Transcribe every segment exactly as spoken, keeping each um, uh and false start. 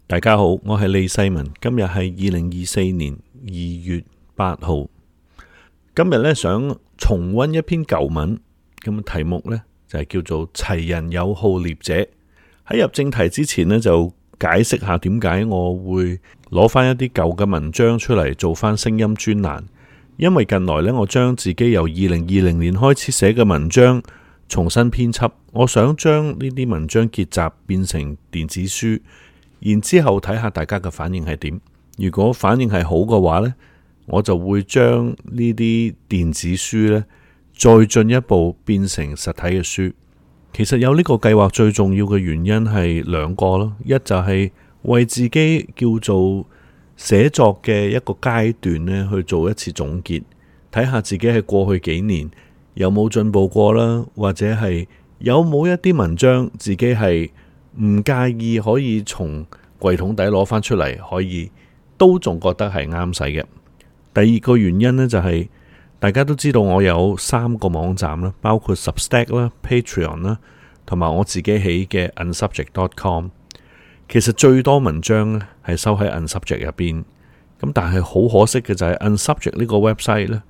大家好，我係李世民。今日係二零二四年二月八號。今日咧想重溫一篇舊文，咁題目呢就係叫做齊人有號獵者。喺入正題之前呢，就解釋下點解我會攞翻一啲舊嘅文章出嚟做翻聲音專欄。因為近來呢，我將自己由二零二零年開始寫嘅文章重新編輯，我想將呢啲文章結集變成電子書。然之後睇下大家嘅反應係點，如果反應係好嘅話呢，我就會將呢啲電子書呢再進一步變成實體嘅書。其實有呢個計劃最重要嘅原因係兩個咯，一就係為自己叫做寫作嘅一個階段呢去做一次總結，睇下自己喺過去幾年有冇進步過啦，或者係有冇一啲文章自己係唔介意可以從櫃桶底攞翻出嚟，可以都仲覺得係啱使嘅。第二個原因呢，就係大家都知道我有三個網站啦，包括 Substack 啦、Patreon 啦，同埋我自己起嘅 unsubject dot com。其實最多文章呢係收喺 unsubject 入邊，咁但係好可惜嘅就係 unsubject 呢個 website 呢，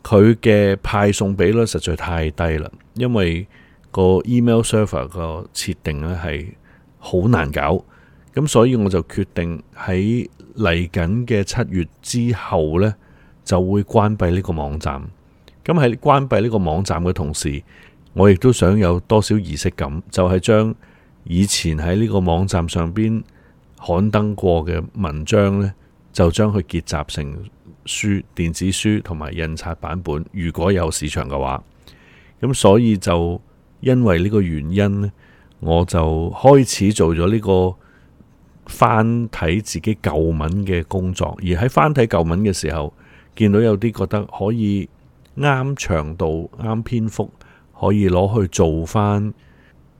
佢嘅派送比率實在太低啦，因為個 email server 個設定呢係好難搞，咁所以我就決定喺嚟緊嘅七月之後呢，就會關閉呢個網站。咁喺關閉呢個網站嘅同時，我亦都想有多少儀式感，就係將以前喺呢個網站上邊刊登過嘅文章呢，就將佢結集成書、電子書同埋印刷版本，如果有市場嘅話。咁所以就因為呢個原因呢，我就開始做咗呢個翻睇自己舊文嘅工作，而喺翻睇舊文嘅時候，見到有啲覺得可以啱長度、啱篇幅，可以攞去做翻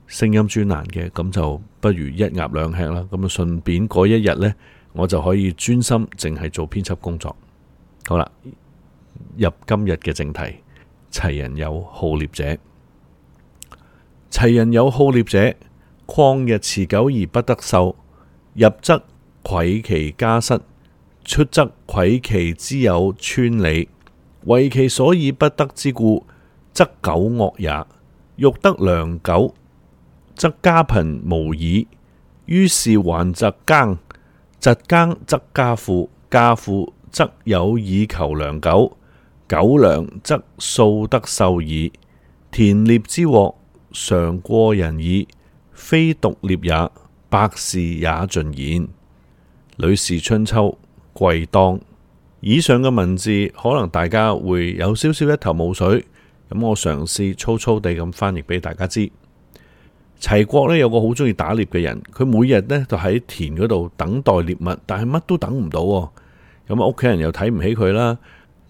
聲音專欄嘅，咁就不如一鴨兩吃啦。咁啊，順便嗰一日呢，我就可以專心淨係做編輯工作。好啦，入今日嘅正題，齊人有號獵者。齊人有號獵者，曠日持久而不得秀，入則愧其家室，出則愧其之有村里。為其所以不得之故，則苟惡也。欲得良久，則家貧無已。於是還疾耕，疾耕則家富，家富則有以求良久，久良則素得秀矣。田獵之獲，常過人矣，非獨獵也，百事也盡然。呂氏春秋貴當。以上嘅文字可能大家會有少少一頭霧水，咁我嘗試粗粗地咁翻譯俾大家知。齊國呢有個好中意打獵嘅人，佢每日呢就喺田嗰度等待獵物，但係乜都等唔到，咁屋企人又睇唔起佢啦，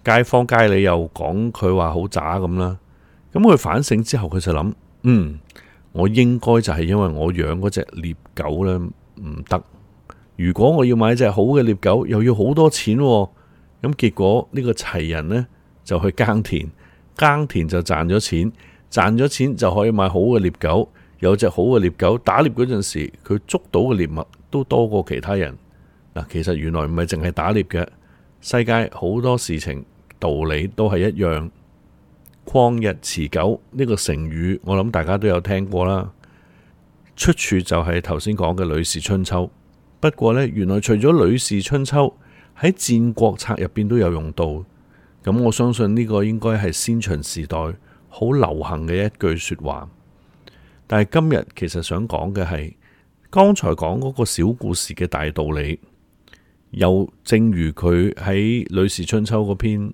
街坊街里又講佢話好渣咁啦。咁佢反省之後，佢就諗，嗯，我應該就係因為我養嗰隻獵狗呢唔得，如果我要買隻好嘅獵狗，又要好多錢，咁結果呢個齊人呢就去耕田，耕田就賺咗錢，賺咗錢就可以買好嘅獵狗，有隻好嘅獵狗，打獵嗰陣時佢捉到嘅獵物都多過其他人。嗱，其實原來唔係淨係打獵嘅，世界好多事情道理都係一樣。曠日持久呢個成語，我諗大家都有聽過啦，出處就係頭先講嘅呂氏春秋。不過呢，原來除咗呂氏春秋，喺戰國策入邊都有用到。咁我相信呢個應該係先秦時代好流行嘅一句說話。但係今日其實想講嘅係剛才講嗰個小故事嘅大道理，又正如佢喺呂氏春秋嗰篇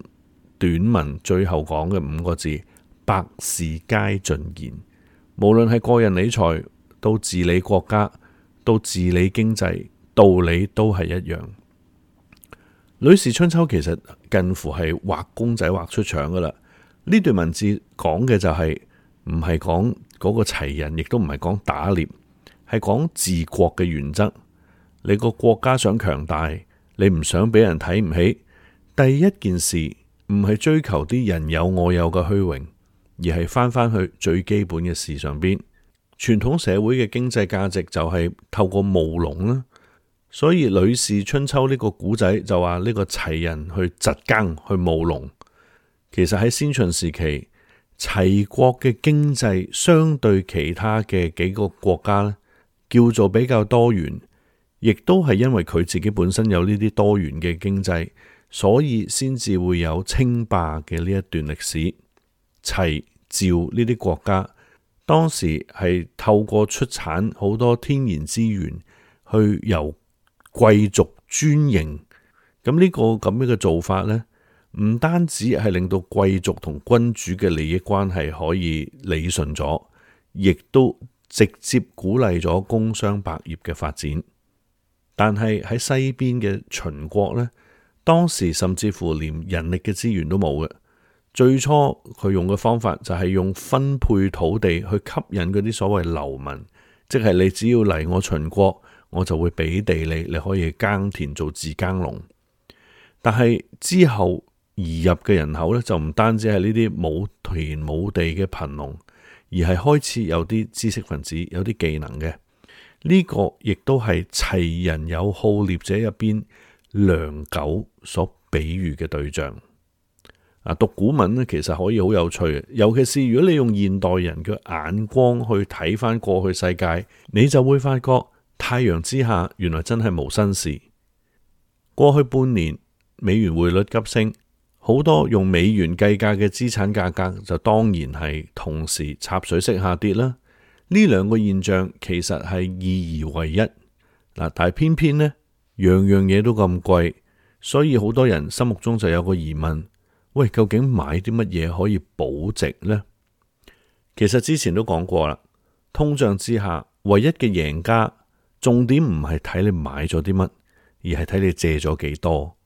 短文最後講嘅五個字，百事皆盡然。無論係個人理財到治理國家到治理經濟，道理都係一樣。呂氏春秋其實近乎係畫公仔畫出腸噶啦。呢段文字講嘅就係唔係講嗰個齊人，亦都唔係講打獵，係講治國嘅原則。你個國家想強大，你唔想俾人睇唔起，第一件事唔係追求啲人有我有嘅虛榮，而係翻返去最基本嘅事上邊。傳統社會嘅經濟價值就係透過務農啦，所以《呂氏春秋》呢個古仔就話呢個齊人去蟄耕去務農，其實喺先秦時期，齊國嘅經濟相對其他嘅幾個國家咧，叫做比較多元，亦都係因為佢自己本身有呢啲多元嘅經濟，所以先至會有稱霸嘅呢一段歷史。齊、趙呢啲國家當時係透過出產好多天然資源，去由貴族專營。咁呢個咁樣嘅做法呢，唔單止係令到貴族同君主嘅利益關係可以理順咗，亦都直接鼓勵咗工商百業嘅發展。但係喺西邊嘅秦國呢，當時甚至乎連人力嘅資源都冇嘅。最初佢用嘅方法就係用分配土地去吸引嗰啲所謂流民，即係你只要嚟我秦國，我就會俾地你，你可以耕田做自耕農。但係之後移入嘅人口咧，就唔單止係呢啲冇田冇地嘅貧農，而係開始有啲知識分子，有啲技能嘅。呢、這個亦都係齊人有好獵者入邊良狗所比喻嘅對象。啊，讀古文咧，其實可以好有趣嘅，尤其是如果你用現代人嘅眼光去睇翻過去世界，你就會發覺太陽之下原來真係無新事。過去半年美元匯率急升，好多用美元計價嘅資產價格就當然係同時插水式下跌啦。呢兩個現象其實係二而為一嗱，但係偏偏呢樣樣嘢都咁貴，所以好多人心目中就有個疑問。喂，究竟買啲乜嘢可以保值呢？其實之前都講過啦，通脹之下，唯一嘅贏家，重點唔係睇你買咗啲乜，而係睇你借咗幾多。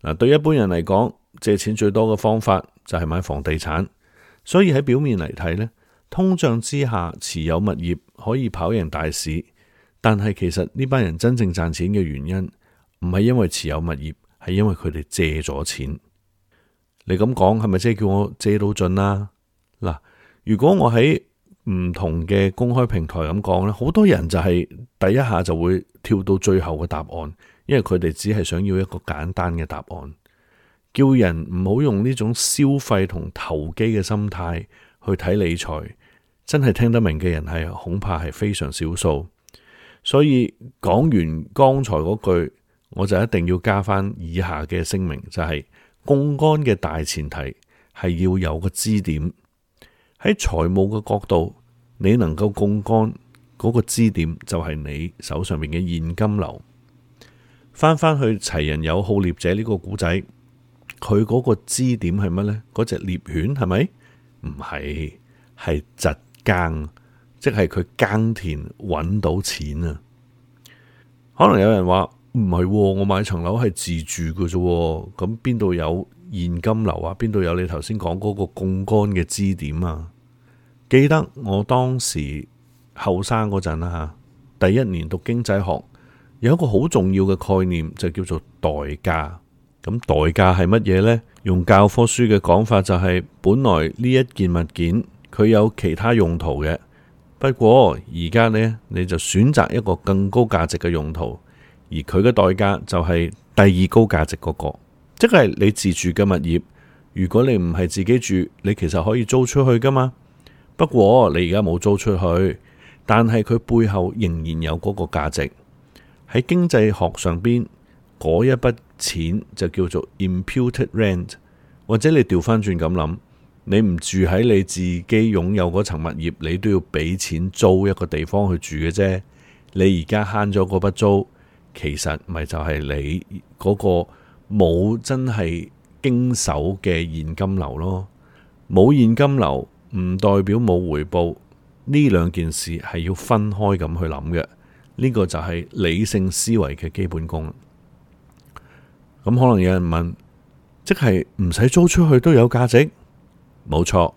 嗱，對一般人嚟講，借錢最多嘅方法就係買房地產。所以喺表面嚟睇呢，通脹之下持有物業可以跑贏大市，但係其實呢班人真正賺錢嘅原因，唔係因為持有物業，係因為佢哋借咗錢。你咁講係咪即係叫我借到盡啦？嗱，如果我喺唔同嘅公開平台咁講咧，好多人就係第一下就會跳到最後嘅答案，因為佢哋只係想要一個簡單嘅答案，叫人唔好用呢種消費同投機嘅心態去睇理財，真係聽得明嘅人係恐怕係非常少數。所以講完剛才嗰句，我就一定要加翻以下嘅聲明，就係、是。槓桿嘅大前提係要有個支點，喺財務嘅角度，你能夠槓桿嗰個支點就係你手上面嘅現金流。翻翻去齊人有好獵者呢個古仔，佢嗰個支點係乜呢？嗰隻獵犬係咪？唔係，係蟄耕，即係佢耕田揾到錢啊！可能有人話。唔係，我買層樓係自住嘅啫，咁邊度有現金流啊？邊度有你頭先講嗰個槓桿嘅支點啊？記得我當時後生嗰陣啦吓，第一年讀經濟學，有一個好重要嘅概念就叫做代價。咁代價係乜嘢呢？用教科書嘅講法就係，本來呢一件物件佢有其他用途嘅，不過而家呢，你就選擇一個更高價值嘅用途。而佢嘅代價就係第二高價值嗰個，即係你自住嘅物業。如果你唔係自己住，你其實可以租出去噶嘛。不過你而家冇租出去，但係佢背後仍然有嗰個價值。喺經濟學上邊，嗰一筆錢就叫做 imputed rent， 或者你調翻轉咁諗，你唔住喺你自己擁有嗰層物業，你都要俾錢租一個地方去住嘅啫。你而家慳咗嗰筆租。其實咪就係你嗰個冇真係經手嘅現金流咯，冇現金流唔代表冇回報，呢兩件事係要分開咁去諗嘅，呢個就係理性思維嘅基本功。咁可能有人問，即係唔使租出去都有價值？冇錯。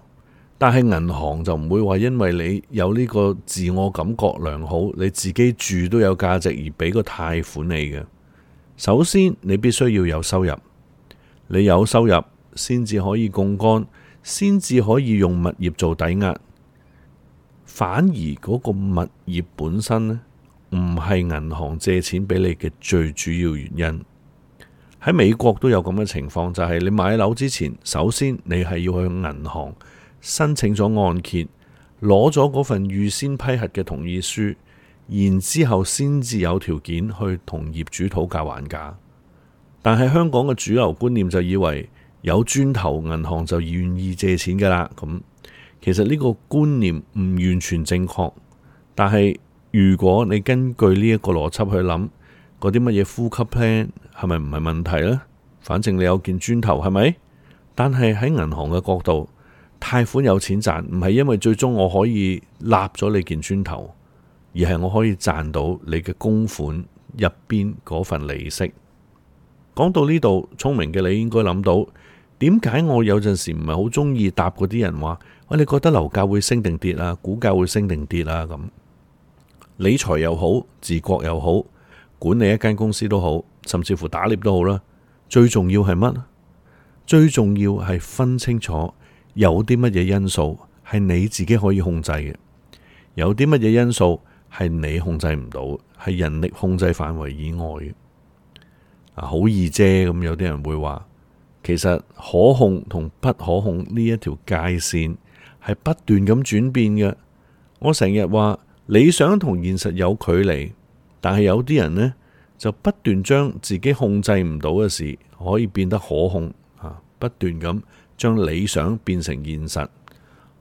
但係銀行就唔會話因為你有呢個自我感覺良好，你自己住都有價值而俾個貸款你嘅。首先你必須要有收入，你有收入先至可以槓桿，先至可以用物業做抵押。反而嗰個物業本身呢，唔係銀行借錢俾你嘅最主要原因。喺美國都有咁嘅情況，就係你買樓之前，首先你係要去銀行申請咗按揭，攞咗嗰份預先批核嘅同意書，然之後先至有條件去同業主討價還價。但係香港嘅主流觀念就以為有磚頭，銀行就願意借錢噶啦。咁其實呢個觀念唔完全正確，但係如果你根據呢一個邏輯去諗，嗰啲乜嘢呼吸 plan 係咪唔係問題呢？反正你有件磚頭係咪？但係喺銀行嘅角度，貸款有錢賺，唔係因為最終我可以立咗你件磚頭，而係我可以賺到你嘅供款入邊嗰份利息。講到呢度，聰明嘅你應該諗到，點解我有陣時唔係好中意答嗰啲人話，喂，你覺得樓價會升定跌啊？股價會升定跌啊？咁理財又好，治國又好，管理一間公司都好，甚至乎打獵都好啦。最重要係乜？最重要係分清楚有啲乜嘢因素係你自己可以控制嘅，有啲乜嘢因素係你控制唔到，係人力控制範圍以外嘅。啊，好易啫，咁有啲人會話，其實可控同不可控呢一條界線係不斷咁轉變嘅。我成日話理想同現實有距離，但係有啲人呢，就不斷將自己控制唔到嘅事可以變得可控，啊，不斷咁將理想變成現實。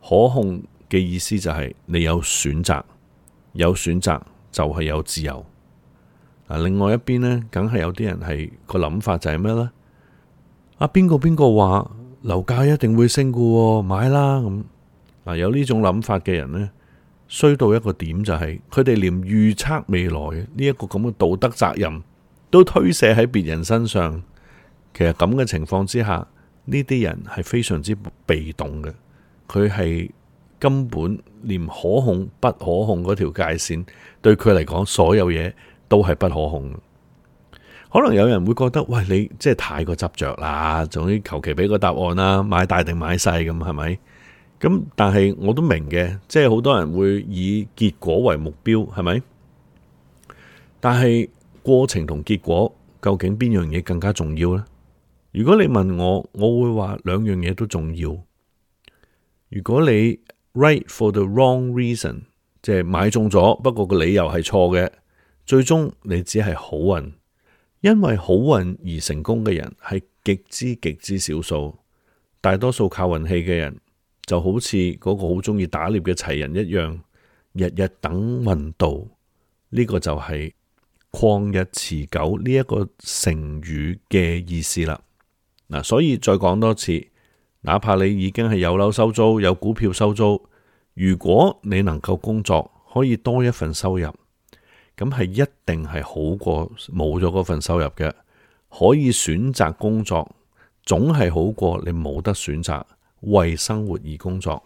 可控嘅意思就係你有選擇，有選擇就係有自由。另外一邊呢，梗係有啲人係個諗法就係咩呢？啊，邊個邊個話樓價一定會升㗎，買啦咁。嗱，有呢種諗法嘅人呢，衰到一個點就係佢哋連預測未來呢一個咁嘅道德責任都推卸喺別人身上。其實咁嘅情況之下，呢啲人係非常之被動嘅，佢係根本連可控不可控嗰條界線對佢嚟講，所有嘢都係不可控。可能有人會覺得，喂，你即係太過執着啦，總之求其俾個答案啦，買大定買細咁係咪？咁但係我都明嘅，即係好多人會以結果為目標，係咪？但係過程同結果究竟邊樣嘢更加重要呢？如果你問我，我會話兩樣嘢都重要。如果你 right for the wrong reason， 即係買中咗，不過個理由係錯嘅，最終你只係好運。因為好運而成功嘅人係極之極之少數，大多數靠運氣嘅人就好似嗰個好中意打獵嘅齊人一樣，日日等運到。呢個就係曠日持久呢一個成語嘅意思啦。嗱，所以再講多次，哪怕你已經係有樓收租，有股票收租，如果你能夠工作，可以多一份收入，咁係一定係好過冇咗嗰份收入嘅。可以選擇工作，總係好過你冇得選擇為生活而工作。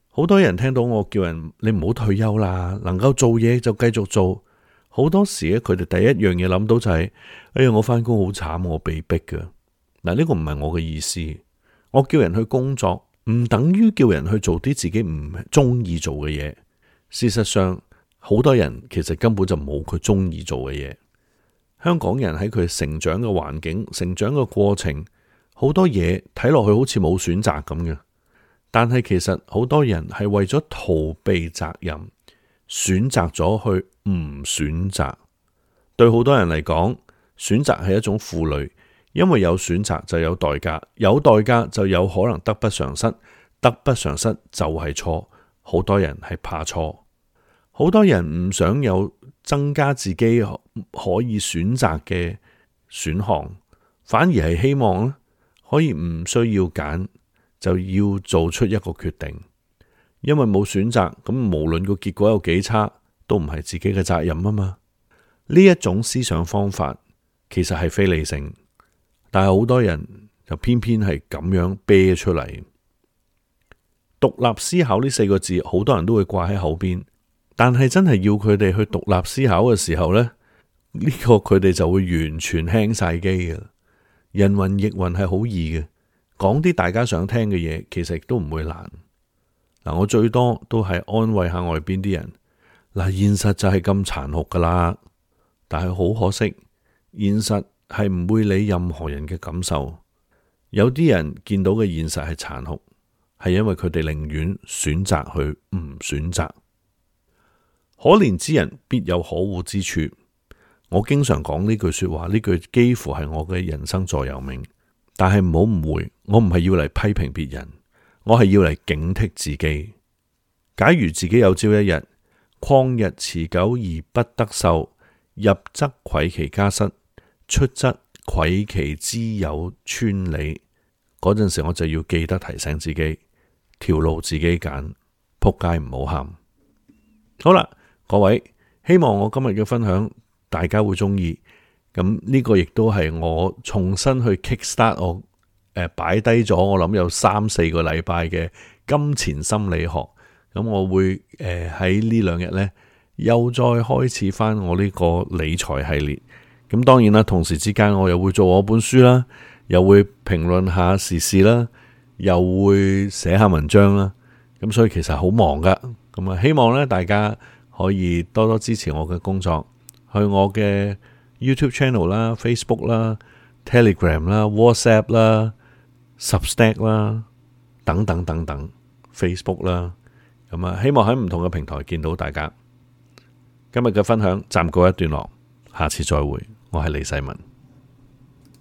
好多人聽到我叫人你唔好退休啦，能夠做嘢就繼續做。好多時咧，佢哋第一樣嘢諗到就係，哎呀，我返工好慘，我被逼㗎。嗱，呢個唔係我嘅意思。我叫人去工作，唔等於叫人去做啲自己唔中意做嘅嘢。事實上，好多人其實根本就冇佢中意做嘅嘢。香港人喺佢成長嘅環境、成長嘅過程，好多嘢睇落去好似冇選擇咁嘅。但係其實好多人係為咗逃避責任，選擇咗去唔選擇。對好多人嚟講，選擇係一種負累，因為有選擇就有代價，有代價就有可能得不償失，得不償失就係錯。好多人係怕錯。好多人唔想有增加自己可以選擇嘅選項，反而係希望可以唔需要揀，就要做出一個決定。因為冇選擇，咁無論個結果有幾差，都唔係自己嘅責任啊嘛。呢一種思想方法其實係非理性，但係好多人就偏偏係咁樣啤出嚟。獨立思考呢四個字，好多人都會掛喺口邊。但係真係要佢哋去獨立思考嘅時候呢，呢個佢哋就會完全輕晒機嘅。人云亦云係好易嘅，講啲大家想聽嘅嘢，其實亦都唔會難。嗱，我最多都係安慰下外邊啲人，嗱，現實就係咁殘酷噶啦，但係好可惜，現實係唔會理任何人嘅感受。有啲人見到嘅現實係殘酷，係因為佢哋寧願選擇去唔選擇。可憐之人必有可惡之處。我經常講呢句說話，呢句幾乎係我嘅人生座右銘。但係唔好誤會，我唔係要嚟批評別人，我係要嚟警惕自己。假如自己有朝一日曠日持久而不得受，入則愧其家室，出則愧其之有村里，嗰陣時我就要記得提醒自己，條路自己揀，仆街唔好喊。好啦，各位，希望我今日嘅分享大家會中意。咁呢個亦都係我重新去 kickstart 我誒擺低咗，我諗有三四個禮拜嘅金錢心理學。咁我會誒喺呢兩日呢，又再開始翻我呢個理財系列。咁當然啦，同時之間我又會做我本書啦，又會評論下時事啦，又會寫下文章啦。咁所以其實好忙噶。咁啊，希望呢大家可以多多支持我嘅工作，去我嘅YouTube channel 啦、Facebook 啦、Telegram 啦、WhatsApp 啦、Substack 啦等等等等 Facebook 啦，咁啊，希望喺唔同嘅平台見到大家。今日嘅分享暫告一段落，下次再會。我係李世民。